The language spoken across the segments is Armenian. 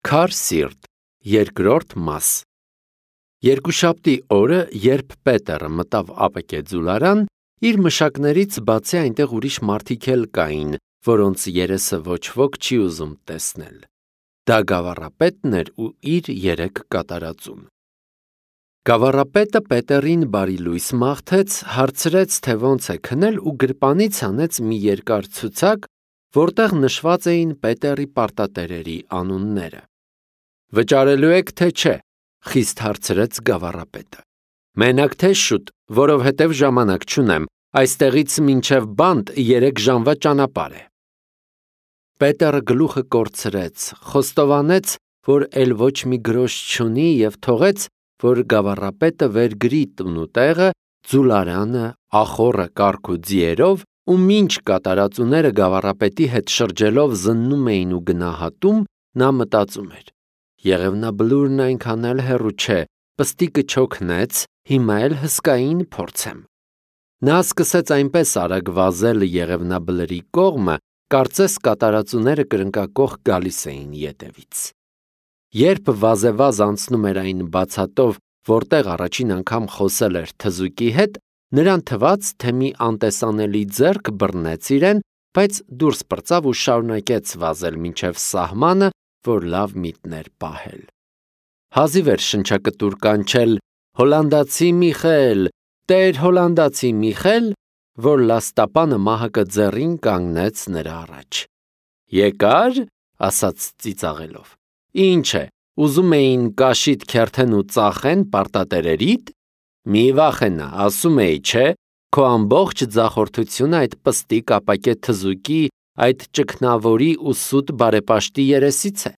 Քար սիրտ, երկրորդ մաս։ Երկուշաբթի օրը, երբ Պետերը մտավ ԱՊԿ ձուլարան, իր մշակներից բացի այնտեղ ուրիշ մարդիկ էլ կային, որոնց երեսը ոչ ոք չի ուզում տեսնել։ Դա գավառապետն էր ու իր 3 կատարածուն։ Գավառապետը Պետերին բարի լույս մաղթեց, հարցրեց, թե ոնց է քնել ու գրպանից հանեց մի երկար ցուցակ, որտեղ նշված էին Պետերի պարտատերերի անունները։ Վճարելու եք, թե չէ, խիստ հարցրեց գավառապետը։ Մենակ թե շուտ, որովհետև ժամանակ չունեմ, այստեղից մինչև բանտ 3 ժամվա ճանապարհ է։ Պետերը գլուխը կորցրեց, խոստովանեց, որ էլ ոչ մի գրոշ չունի և թողեց, որ գավառապետը վերգրի տուն ու տեղը, ձուլարանը, ախոռը կառք ու ձիերով, ու մինչ կատարածուները գավառապետի հետ շրջելով զննում էին ու գնահատում, նա մտածում էր. Եղևնաբլուրն այնքան էլ հեռու չէ, պստիկը չօգնեց, հիմա էլ հսկային փորձեմ։ Նա սկսեց այնպես արագ վազել եղևնաբլրի կողմը, կարծես կատարածուները կրնկակոխ գալիս էին ետևից։ Երբ վազեվազ անցնում էր այն բացատով, որտեղ առաջին անգամ խոսել էր թզուկի հետ, նրան թվաց, թե մի անտեսանելի ձեռք բռնեց իրեն, բայց դուրս պրծավ ու շարունակեց վազել մինչև սահմանը, որ լավ միտներ պահել։ Հազիվ էր շնչակտուր կանչել «Հոլանդացի Միխել, Տեր հոլանդացի Միխել», որ լաստապանը մահակը ձեռին կանգնեց նրա առաջ։ «Եկա՞ր», ասաց ծիծաղելով։ «Ինչ է, ուզում էին կաշիդ քերթեն ու ծախեն պարտատերերիդ։ Մի վախենա, ասում էի, չէ, քո ամբողջ ձախորդությունը այդ պստիկ ապակե թզուկի, այդ ճգնավորի ու սուտ բարեպաշտի երեսից է։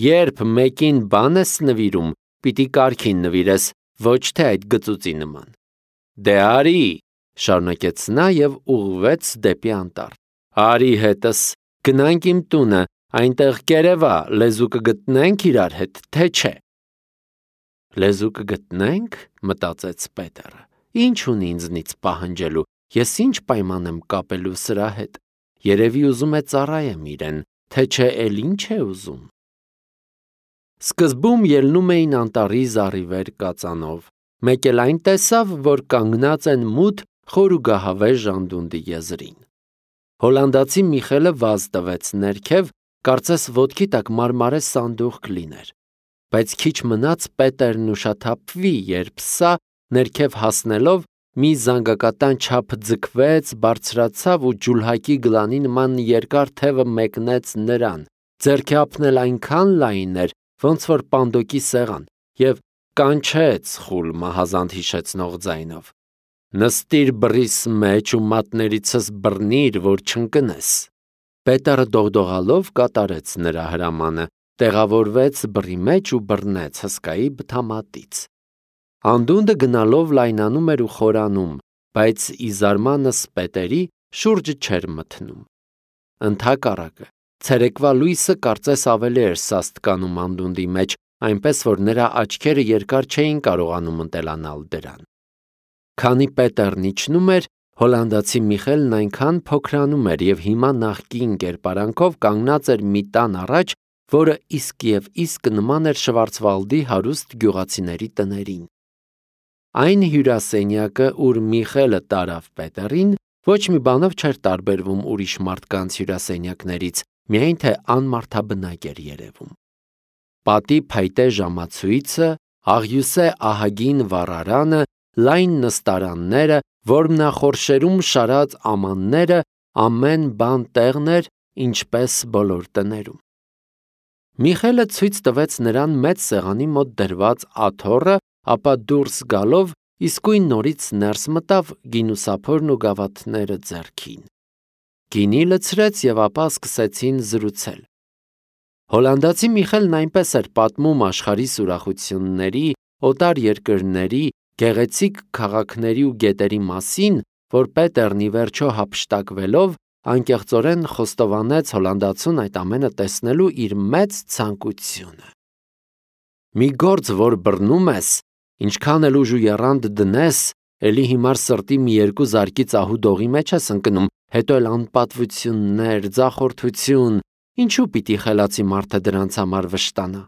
Երբ մեկին բան ես նվիրում, պիտի կարգին նվիրես, ոչ թե այդ գծուծի նման։ Դե արի, շարունակեց նա և ուղղվեց դեպի անտառ։ Արի հետս, գնանք իմ տունը, այնտեղ կերևա, լեզու կգտնենք իրար հետ, թե չէ։ Լեզու կգտնենք, մտածեց Պետերը։ Ինչ ունի ինձնից պահանջելու, ես ինչ պայման եմ կապելու սրա հետ։ Երևի ուզում է ծառայեմ իրեն, թե չէ էլ ինչ է ուզում։ Սկզբում ելնում էին անտառի զառիվեր կածանով։ Մեկ էլ այն տեսավ, որ կանգնած են մութ խորուգահավե ժանդունդի եզրին։ Հոլանդացի Միխելը վազ տվեց ներքև, կարծես ոտքի տակ մարմարե սանդուղք լիներ։ Բայց քիչ մնաց Պետերն ուշաթափվի, երբ սա, ներքև հասնելով, մի զանգակատան չափ ձգվեց, բարձրացավ ու ջուլհակի գլանի նման երկար թևը մեկնեց նրան, ձեռքափն էլ այնքան լայն էր, ոնց որ պանդոկի սեղան, և կանչեց խուլ մահազանդ հիշեցնող ձայնով. «Նստիր բռիս մեջ ու մատներիցս բռնիր, որ չընկնես»։ Պետերը դողդողալով կատարեց նրա հրամանը, տեղավորվեց բռի մեջ ու բռնեց հսկայի բթամատից։ Անդունդը գնալով լայնանում էր ու խորանում, բայց ի զարմանս Պետերի շուրջը չէր մթնում։ Ընդհակառակը, ցերեկվա լույսը կարծես ավելի էր սաստկանում անդունդի մեջ, այնպես որ նրա աչքերը երկար չէին կարողանում ընտելանալ դրան։ Քանի Պետերն իջնում էր, հոլանդացի Միխելն այնքան փոքրանում էր և հիմա նախկին կերպարանքով կանգնած էր մի տան առաջ, որը իսկ և իսկ նման էր Շվարցվալդի հարուստ գյուղացիների տներին։ Այն հյուրասենյակը, ուր Միխելը տարավ Պետերին, ոչ մի բանով չէր տարբերվում ուրիշ մարդկանց հյուրասենյակներից, միայն թե անմարդաբնակ էր երևում։ Պատի փայտե ժամացույցը, աղյուսե ահագին վառարանը, լայն նստարանները, որմնախորշերում շարած ամանները, ամեն բան տեղն էր, ինչպես բոլոր տներում։ Միխելը ցույց տվեց նրան մեծ սեղանի մոտ դրված աթոռը, ապա դուրս գալով իսկույն նորից ներս մտավ գինուսափորն ու գավաթները ձեռքին։ Գինի լցրեց և ապա սկսեցին զրուցել։ Հոլանդացի Միխելն այնպես էր պատմում աշխարհի սուրախությունների, օտար երկրների, գեղեցիկ քաղաքների ու գետերի մասին, որ Պետերն ի վերջո հափշտակվելով անկեղծորեն խոստովանեց հոլանդացուն այդ ամենը տեսնելու իր մեծ ցանկությունը։ Մի գործ, որ բռնում ես, ինչքան էլ ուժ ու եռանդ դնես, էլի հիմար սրտի մի երկու զարկի ծահու դողի մեջ ես ընկնում, հետո էլ անպատվություններ, ձախորդություն, Ինչու պիտի խելացի մարդը դրանց համար վշտանա։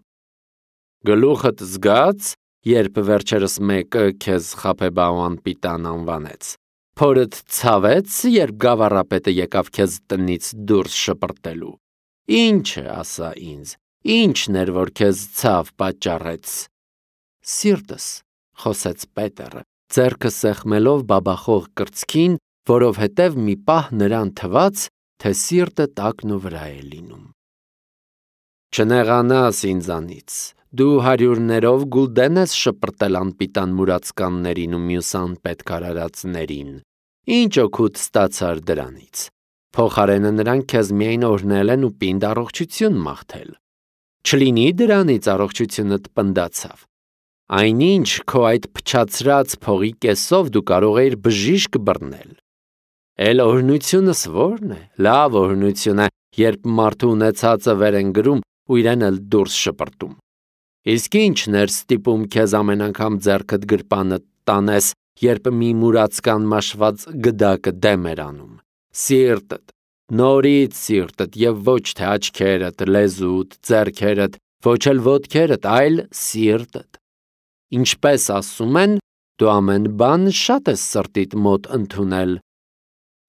Գլուխդ զգաց, երբ վերջերս մեկը քեզ խաբեբայ անպիտան անվանեց։ Փորդ ցավեց, երբ գավառապետը եկավ քեզ տնից դուրս շպրտելու։ Ինչը ասա ինձ, ինչն էր, որ քեզ ցավ պատճառեց։ Սիրտս, խոսեց Պետերը, ձեռքը սեղմելով բաբախող կրծքին, որովհետև մի պահ նրան թվաց, թե սիրտը տակն ու վրա է լինում։ Չնեղանաս ինձանից, դու հարյուրներով գուլդեն ես շպրտել անպիտան մուրացկաններին ու մյուս անպետք արարածներին, ինչ օգուտ ստացար դրանից, փոխարենը նրանք քեզ միայն օրհնել են ու պինդ առողջություն մաղթել, չլինի դրանից առողջությունդ պնդացավ, այնինչ քո այդ փչացրած փողի կեսով դու կարող էիր բժիշկ բռնել, էլ օրհնությունս ո՞րն է, լավ օրհնություն է, երբ մարդու ունեցածը վեր են գրում ու իրեն էլ դուրս շպրտում, իսկ ինչն էր ստիպում քեզ ամեն անգամ ձեռքդ գրպանը տանես, երբ մի մուրացկան մաշված գդակը դեմ էր անում, սիրտդ, նորից սիրտդ և ոչ թե աչքերդ, լեզուդ, ձեռքերդ, ոչ էլ ոտքերդ, այլ սիրտդ, ինչպես ասում են, դու ամեն բան շատ ես սրտիդ մոտ ընդունել,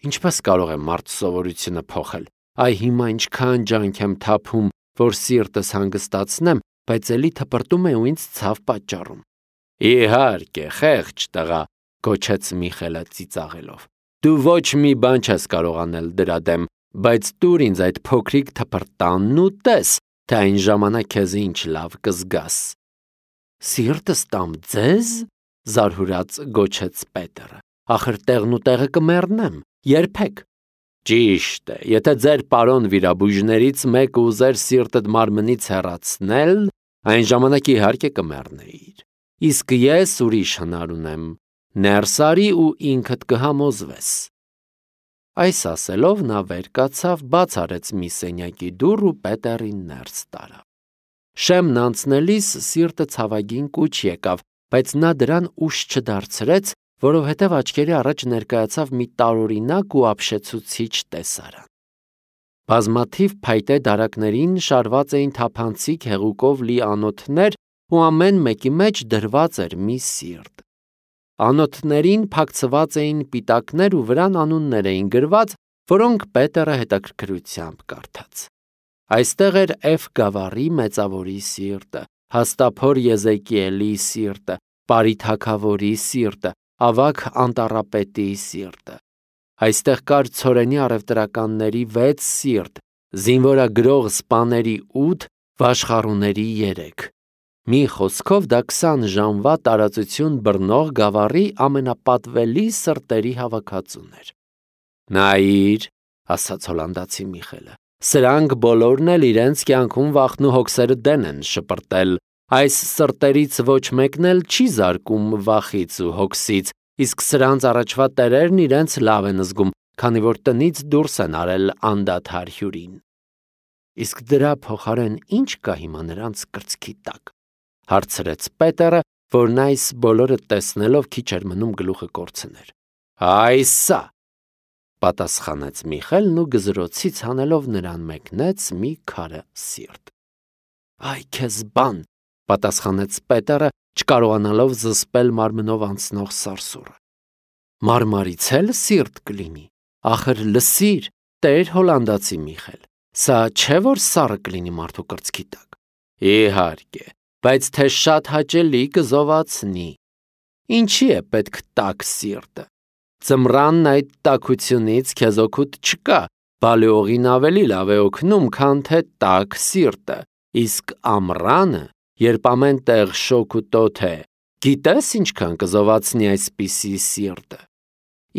ինչպես կարող է մարդ սովորությունը փոխել, այ հիմա ինչքան ջանք եմ թափում, որ սիրտս հանգստացնեմ, բայց էլի թպրտում է ու ինձ ցավ պատճառում։ Իհարկե, խեղճ տղա, գոչեց Միխելը ծիծաղելով։ Դու ոչ մի բան չես կարող անել դրա դեմ, բայց տուր ինձ այդ փոքրիկ թպրտանն ու տես, թե այն ժամանակ քեզ ինչ լավ կզգաս։ Սիրտս տամ ձեզ, զարհուրած գոչեց Պետերը։ Ախր տեղն ու տեղը կմեռնեմ, երբեք։ Ճիշտ է, եթե ձեր պարոն վիրաբույժներից մեկը ուզեր սիրտդ մարմնից հեռացնել, այն ժամանակ իհարկե կմեռնեիր։ Իսկ ես ուրիշ հնար ունեմ, ներս արի ու ինքդ կհամոզվես։ Այս ասելով նա վեր կացավ, բաց արեց մի սենյակի դուռ ու Պետերին ներս տարավ։ Շեմն անցնելիս սիրտը ցավագին կուչ եկավ, բայց նա դրան ուշ չդարձրեց, որովհետև աչքերի առաջ ներկայացավ մի տարօրինակ ու ապշեցուցիչ տեսարան։ Բազմաթիվ փայտե դարակներին շարված էին թափանցիկ հեղուկով լի անոթներ ու ամեն մեկի մեջ դրված էր մի սիրտ։ Անոթներին փակցված էին պիտակներ ու վրան անուններ էին գրված, որոնք Պետերը հետաքրքրությամբ կարդաց։ Այստեղ էր Էֆ գավառի մեծավորի սիրտը, հաստափոր Եզեկիելի սիրտը, Պարի թագավորի սիրտը, ավագ անտառապետի սիրտը։ Այստեղ կար ցորենի առևտրականների 6 սիրտ, զինվորագրող սպաների 8, վաշխառուների 3։ Մի խոսքով դա 20 ժամվա տարածություն բռնող գավառի ամենապատվելի սրտերի հավաքածուն էր։ Նայիր, ասաց հոլանդացի Միխելը, սրանք բոլորն էլ իրենց կյանքում վախն ու հոգսերը դեն են շպրտել, այս սրտերից ոչ մեկն էլ չի զարկում վախից ու հոգսից, իսկ սրանց առաջվա տերերն իրենց լավ են զգում, քանի որ տնից դուրս են արել անդադար հյուրին։ Իսկ դրա փոխարեն ինչ կա հիմա նրանց կրծքի տակ, հարցրեց Պետերը, որն այս բոլորը տեսնելով քիչ էր մնում գլուխը կորցներ։ Այսա, պատասխանեց Միխելն ու գզրոցից հանելով նրան մեկնեց մի քարը սիրտ։ Այ քեզ բան, պատասխանեց Պետերը, չկարողանալով զսպել մարմնով անցնող սարսուռը։ Մարմարից էլ սիրտ կլինի, ախր լսիր, տեր հոլանդացի Միխել, սա չէ որ սառը կլինի մարդու կրծքի տակ։ Իհարկե, բայց թե շատ հաճելի կզովացնի։ Ինչի է պետք տաք սիրտը։ Ձմռանն այդ տաքությունից քեզ օգուտ չկա, բալեողին ավելի լավ է օգնում, քան թե տաք սիրտը, իսկ ամռանը, երբ ամեն տեղ շոգ ու տոթ է, գիտես ինչքան կզովացնի այսպիսի սիրտը։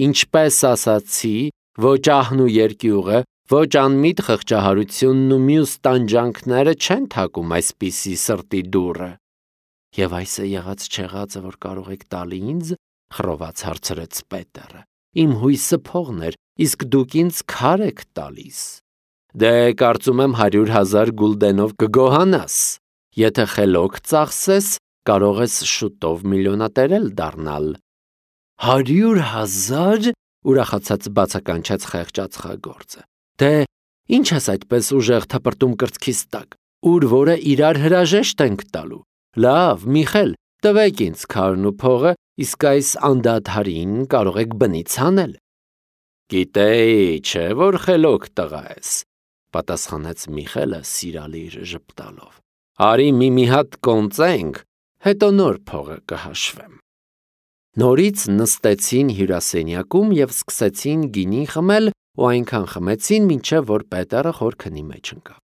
Ինչպես ասացի, ոչ ահն ու երկյուղը, ոչ անմիտ խղճահարությունն ու մյուս տանջանքները չեն թակում այսպիսի սրտի դուռը։ Եվ այս է եղած չեղածը, որ կարող եք տալ ինձ, խռոված հարցրեց Պետերը։ Իմ հույսը փողն էր, իսկ դուք ինձ քար եք տալիս։ Դե կարծում եմ 100,000 գուլդենով կգոհանաս։ Եթե խելոք ծախսես, կարող ես շուտով միլիոնատեր էլ դառնալ։ 100,000 ուրախացած բացականչեց խեղճ ածխագործը։ Դե Ինչ ես այդպես ուժեղ թպրտում կրծքիս տակ, ուր որը իրար հրաժեշտ ենք տալու։ Լավ, Միխել, տվեք ինձ քարն ու փողը, իսկ այս անդադարին կարող եք բնից հանել։ Գիտեի, չէ, որ խելոք տղա ես, պատասխանեց Միխելը սիրալիր ժպտալով։ Արի մի հատ կոնծենք, հետո նոր փողը կհաշվեմ։ Նորից նստեցին հյուրասենյակում եւ սկսեցին գինի խմել ու այնքան խմեցին, մինչև որ Պետերը խորքնի մեջ ընկավ։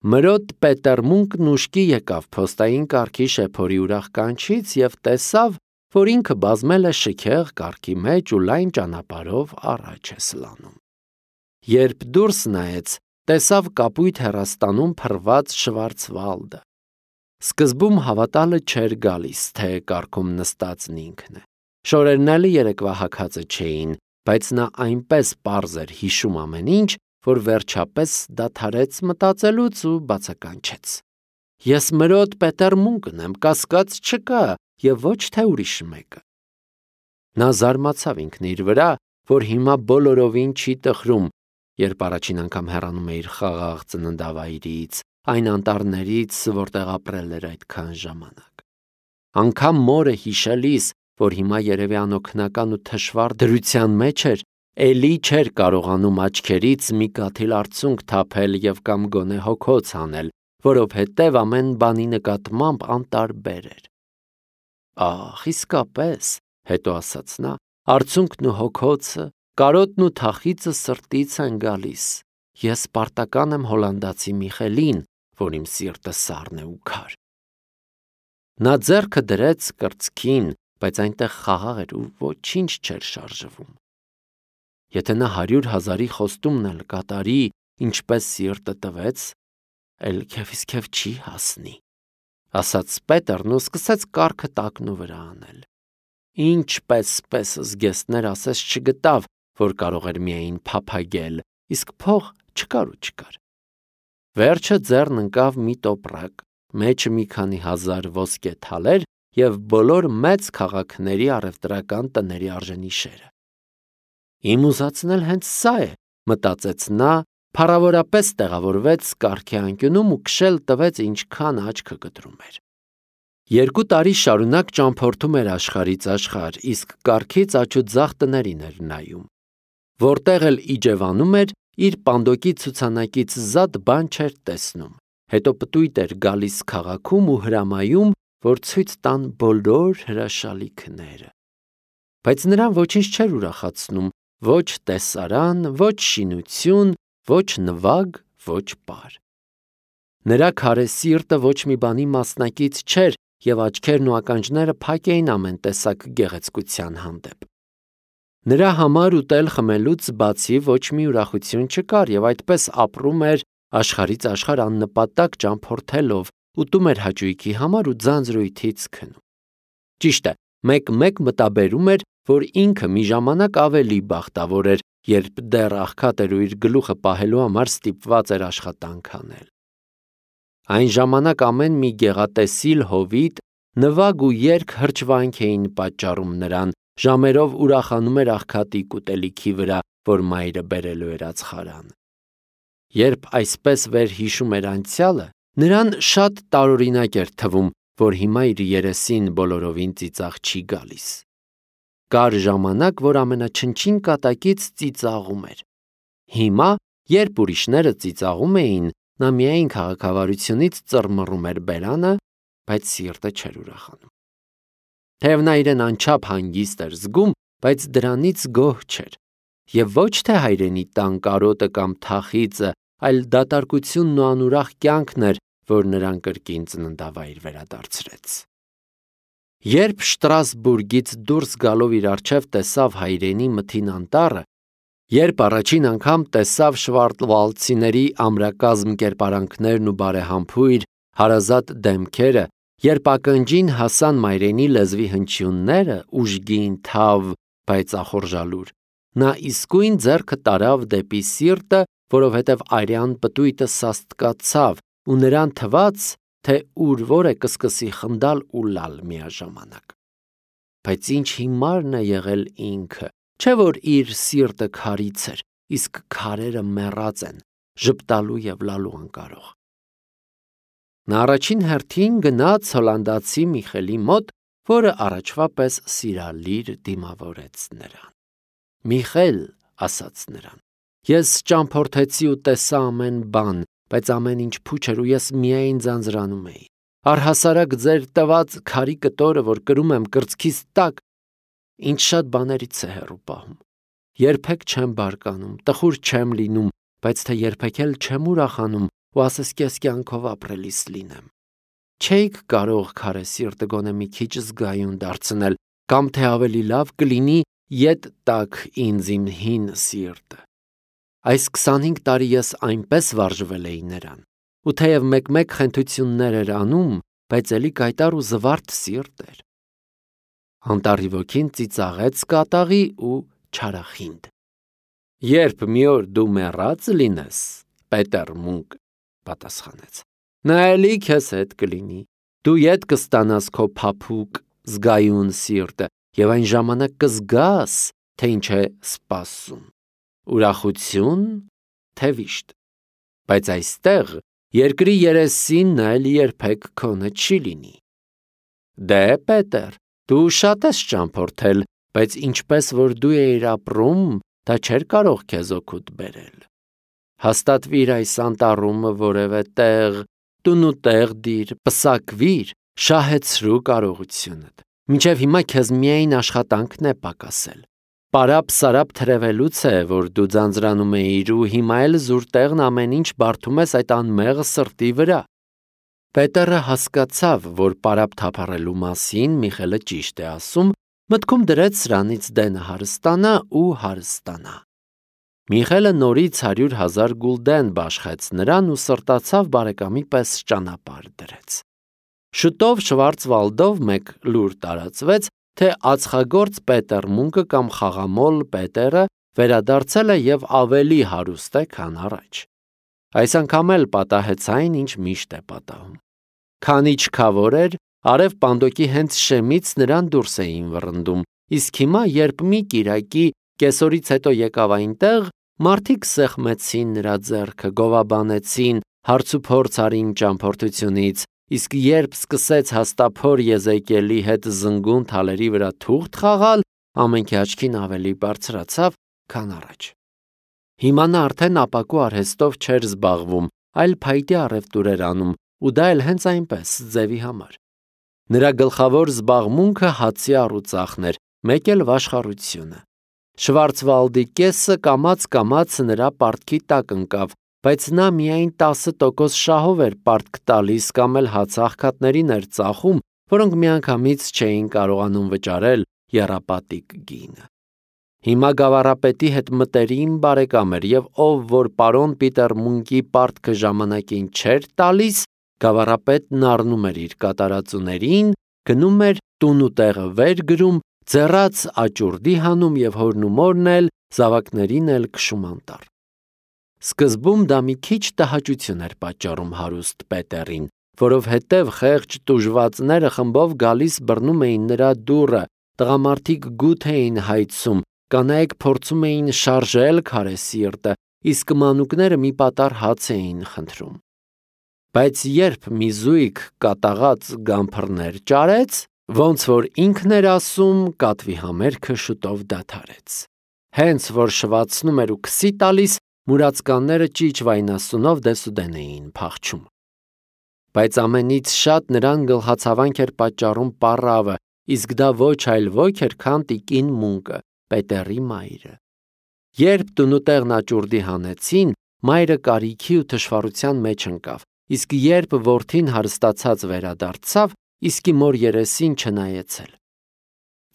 Մրոտ Պետերմունկն ուշքի եկավ փոստային կառքի շեփորի ուրախ կանչից եւ տեսավ, որ ինքը բազմել է շքեղ կառքի մեջ ու լայն ճանապարհով առաջ է սլանում։ Երբ դուրս նայեց, տեսավ կապույտ հեռաստանում փռված Շվարցվալդը։ Սկզբում հավատալը չէր գալիս, թե կառքում նստածն ինքն է։ Շորերն էլ երեկվա հագածը չէին, բայց նա այնպես պարզ էր հիշում ամեն ինչ, որ վերջապես դադարեց մտածելուց ու բացականչեց. Ես մրոտ Պետերմունկն եմ, կասկած չկա, եւ ոչ թե ուրիշ մեկը։ Նա զարմացավ ինքն իր վրա, որ հիմա բոլորովին չի տխրում, երբ առաջին անգամ հեռանում է իր խաղաղ ծննդավայրից, այն անտառներից, որտեղ ապրել էր այդքան ժամանակ։ Անգամ մորը հիշելիս, որ հիմա երևի անօգնական ու թշվառ դրության մեջ էր, էլի չէր կարողանում աչքերից մի կաթիլ արցունք թափել եւ կամ գոնե հոգոց անել, որովհետեւ ամեն բանի նկատմամբ անտարբեր էր։ Ահ, իսկապես, հետո ասաց նա, արցունքն ու հոգոցը, կարոտն ու թախիծը սրտից են գալիս։ Ես պարտական եմ հոլանդացի Միխելին, որ իմ սիրտը սառն է ու քար։ Նա ձեռքը դրեց կրծքին, բայց այնտեղ խաղաղ էր ու ոչինչ չէր շարժվում։ Եթե նա 100,000-ի խոստումն էլ կատարի, ինչպես սիրտը տվեց, էլ քեֆ չի հասնի, ասաց Պետերն ու սկսեց կառքը տակնու վրա անել։ Ինչպես զգեստներ ասես չգտավ, որ կարող էր միայն փափագել, իսկ փող չկար։ Վերջը ձեռն ընկավ մի տոպրակ, մեջը մի քանի հազար ոսկե թալեր եւ բոլոր մեծ քաղաքների առևտրական տների արժենիշերը։ Իմ ուզածն էլ հենց սա է, մտածեց նա, փառավորապես տեղավորվեց կառքի անկյունում ու քշել տվեց ինչքան աչքը կտրում էր։ 2 տարի շարունակ ճամփորդում էր աշխարհից աշխարհ, իսկ կառքից աջ ու ձախ տներին էր նայում։ Որտեղ էլ իջևանում էր, իր պանդոկի ցուցանակից զատ բան չէր տեսնում։ Հետո պտույտ էր գալիս քաղաքում ու հրամայում, որ ցույց տան բոլոր հրաշալիքները։ Բայց նրան ոչինչ չէր ուրախացնում, ոչ տեսարան, ոչ շինություն, ոչ նվագ, ոչ պար։ Նրա քարե սիրտը ոչ մի բանի մասնակից չէր եւ աչքերն ու ականջները փակ էին ամեն տեսակ գեղեցկության հանդեպ։ Նրա համար ուտել խմելուց բացի ոչ մի ուրախություն չկար եւ այդպես ապրում էր աշխարհից աշխարհ աննպատակ ճամփորդելով, ուտում էր հաճույքի համար ու ձանձրույթից քնում։ Ճիշտ է, մեկ մտաբերում էր, որ ինքը մի ժամանակ ավելի բախտավոր էր, երբ դեռ աղքատ էր ու իր գլուխը պահելու համար ստիպված էր աշխատանք անել։ Այն ժամանակ ամեն մի գեղատեսիլ հովիտ, նվագ ու երգ հրճվանք էին պատճառում նրան, ժամերով ուրախանում էր աղքատի կուտելիքի վրա, որ մայրը բերելու էր ածխարան։ Երբ այսպես վերհիշում էր անցյալը, նրան շատ տարօրինակ էր թվում, որ հիմա իր երեսին բոլորովին ծիծաղ չի գալիս։ Կար ժամանակ, որ ամենաչնչին կատակից ծիծաղում էր։ Հիմա, երբ ուրիշները ծիծաղում էին, նա միայն քաղաքավարությունից ծռմռում էր բերանը, բայց սիրտը չէր ուրախանում։ Թեև նա իրեն անչափ հանգիստ էր զգում, բայց դրանից գոհ չէր։ Եվ ոչ թե հայրենի տան կարոտը կամ թախիծը, այլ դատարկությունն ու անուրախ կյանքն էր, որ նրան կրկին ծննդավայր վերադարձրեց։ Երբ Շտրասբուրգից դուրս գալով իր առջև տեսավ հայրենի մթին անտառը, երբ առաջին անգամ տեսավ շվարթվալդցիների ամրակազմ կերպարանքներն ու բարեհամբույր, հարազատ դեմքերը, երբ ակնջին հասան մայրենի լեզվի հնչյունները, ուժգին, թավ, բայց ախորժալուր, նա իսկույն ձեռքը տարավ դեպի սիրտը, որովհետև արյան պտույտը սաստկացավ ու նրան թվաց, թե ուր որ է կսկսի խնդալ ու լալ միաժամանակ։ Բայց ինչ հիմարն է եղել ինքը, չէ որ իր սիրտը քարից էր, իսկ քարերը մեռած են, ժպտալու եւ լալու անկարող։ Նա առաջին հերթին գնաց հոլանդացի Միխելի մոտ, որը առաջվա պես սիրալիր դիմավորեց նրան։ Միխել, ասաց նրան, ես ճամփորդեցի ու տեսա ամեն բան, բայց ամեն ինչ փուչ էր ու ես միայն ձանձրանում էի։ Առհասարակ ձեր տված քարի կտորը, որ կրում եմ կրծքիս տակ, ինչ շատ բաներից է հեռու պահում։ Երբեք չեմ բարկանում, տխուր չեմ լինում, բայց թե երբեք էլ չեմ ուրախանում ու ասես կես կյանքով ապրելիս լինեմ։ Չէիք կարող քարե սիրտը գոնե մի քիչ զգայուն դարձնել, կամ թե ավելի լավ կլինի ետ տակ ինձ իմ հին սիրտը։ Այս 25 տարի ես այնպես վարժվել էի նրան, ու թեև մեկ-մեկ խենթություններ էր անում, բայց էլի կայտար ու զվարթ սիրտ էր։ Անտառի ոգին ծիծաղեց կատաղի ու չարախինդ։ Երբ մի օր դու մեռած լինես, Պետեր Մունկ պատասխանեց, նա էլի քեզ հետ կլինի, դու ետ կստանաս քո փափուկ զգայուն սիրտը եւ այն ժամանակ կզգաս, թե ինչ է սպասում, ուրախություն, թե վիշտ, բայց այստեղ երկրի երեսին նա էլ երբեք քոնը չի լինի։ Դե Պետեր, դու շատ ես ճամփորդել, բայց ինչպես որ դու էիր ապրում, դա չէր կարող քեզ օգուտ բերել։ Հաստատվիր այս անտառում որևէ տեղ, տունուտեղ դիր, պսակվիր, շահեցրու կարողությունդ։ Մինչև հիմա քեզ միայն աշխատանքն է պակասել։ Պարապ-սարապ թրևելուց է, որ դու ձանձրանում էիր ու հիմա էլ զուր տեղն ամեն ինչ բարդում ես այդ անմեղ սրտի վրա։ Պետերը հասկացավ, որ պարապ թափառելու մասին Միխելը ճիշտ է ասում, մտքում դրեց սրանից դենը հարստանա ու հարստանա։ Միխելը նորից 100,000 գուլդեն բաշխեց նրան ու սրտացավ բարեկամի պես ճանապարհ դրեց։ Շուտով Շվարցվալդով մեկ լուր տարածվեց, թե ածխագործ Պետեր Մունկը կամ խաղամոլ Պետերը վերադարձել է եւ ավելի հարուստ է, քան առաջ։ Այս անգամ էլ պատահեց այն, ինչ միշտ է պատահում։ Քանի չքավոր էր, արև պանդոկի հենց շեմից նրան դուրս էին վռնդում, իսկ հիմա, երբ մի կիրակի կեսօրից հետո եկավ այնտեղ, մարդիկ սեղմեցին նրա ձեռքը, գովաբանեցին, հարցուփորձ արին ճամփորդությունից, իսկ երբ սկսեց հաստափոր Եզեկիելի հետ զնգուն թալերի վրա թուղթ խաղալ, ամենքի աչքին ավելի բարձրացավ, քան առաջ։ Հիմա նա արդեն ապակու արհեստով չէր զբաղվում, այլ փայտե առևտուր էր անում, ու դա էլ հենց այնպես, ձևի համար։ Նրա գլխավոր զբաղմունքը հացի առուծախն էր, մեկ էլ վաշխառությունը։ Շվարցվալդի կեսը կամաց-կամաց նրա պարտքի տակ ընկավ, բայց նա միայն 10% շահով էր պարտք տալիս կամ էլ հացաղքատներին էր ծախում, որոնք միանգամից չէին կարողանում վճարել եռապատիկ գինը։ Հիմա գավառապետի հետ մտերիմ բարեկամ էր եւ ով որ պարոն Պիտեր Մունկի պարտքը ժամանակին չէր տալիս, գավառապետն առնում էր իր կատարածուներին, գնում էր տուն ու տեղը վեր գրում, ձեռաց աճուրդի հանում եւ հորն ու մորն էլ զավակներին էլ քշում անտառ։ Սկզբում դա մի քիչ տհաճություն էր պատճառում հարուստ Պետերին, որովհետև խեղճ տուժվածները խմբով գալիս բռնում էին նրա դուռը, տղամարդիկ գութ էին հայցում, կանայք փորձում էին շարժել քարե սիրտը, իսկ մանուկները մի պատառ հաց էին խնդրում։ Բայց երբ մի զույգ կատաղած գամփռներ ճարեց, ոնց որ ինքն էր ասում, կատվի համերգը շուտով դադարեց։ Հենց որ շվացնում էր ու քսի տալիս, մուրացկանները ճիչ վայնասունով դեսուդեն էին փախչում։ Բայց ամենից շատ նրան գլխացավանք էր պատճառում պառավը, իսկ դա ոչ այլ ոք էր, քան տիկին Մունկը, Պետերի մայրը։ Երբ տունուտեղն աճուրդի հանեցին, մայրը կարիքի ու թշվառության մեջ ընկավ, իսկ երբ որդին հարստացած վերադարձավ, իսկի մոր երեսին չնայեցել։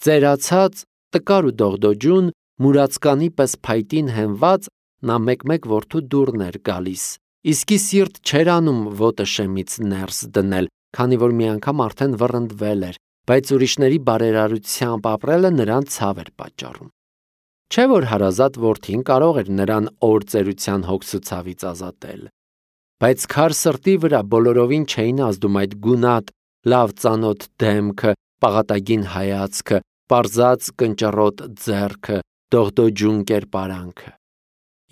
Ծերացած, տկար ու դողդոջուն, մուրացկանի պես փայտին հենված, նա մեկ-մեկ որդու դուռն էր գալիս, իսկի սիրտ չէր անում ոտը շեմից ներս դնել, քանի որ մի անգամ արդեն վռնդվել էր, բայց ուրիշների բարերարությամբ ապրելը նրան ցավ էր պատճառում։ Չէ որ հարազատ որդին կարող էր նրան օր ծերության հոգսուցավից ազատել։ Բայց քար սրտի վրա բոլորովին չէին ազդում այդ գունատ, լավ ծանոթ դեմքը, պաղատագին հայացքը, պարզած կնճռոտ ձեռքը, դողդոջուն կերպարանքը։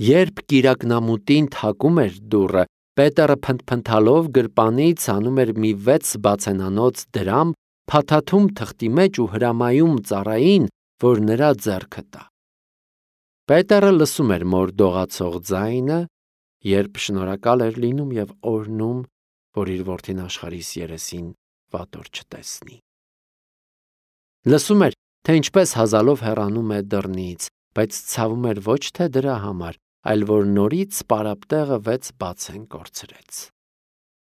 Երբ կիրակնամուտին թակում էր դուռը, Պետերը փնթփնթալով գրպանից անում էր մի 6 բացենանոց դրամ, փաթաթում թղթի մեջ ու հրամայում ծառային, որ նրա ձեռքը տա։ Պետերը լսում էր մոր դողացող ձայնը, երբ շնորհակալ էր լինում եւ օրհնում, որ իր որդին աշխարհիս երեսին վատոր չտեսնի։ Լսում էր, թե ինչպես հազալով հեռանում է դռնից, բայց ցավում էր ոչ թե դրա համար, այլ որ նորից պարապտեղը 6 բացեն կորցրեց։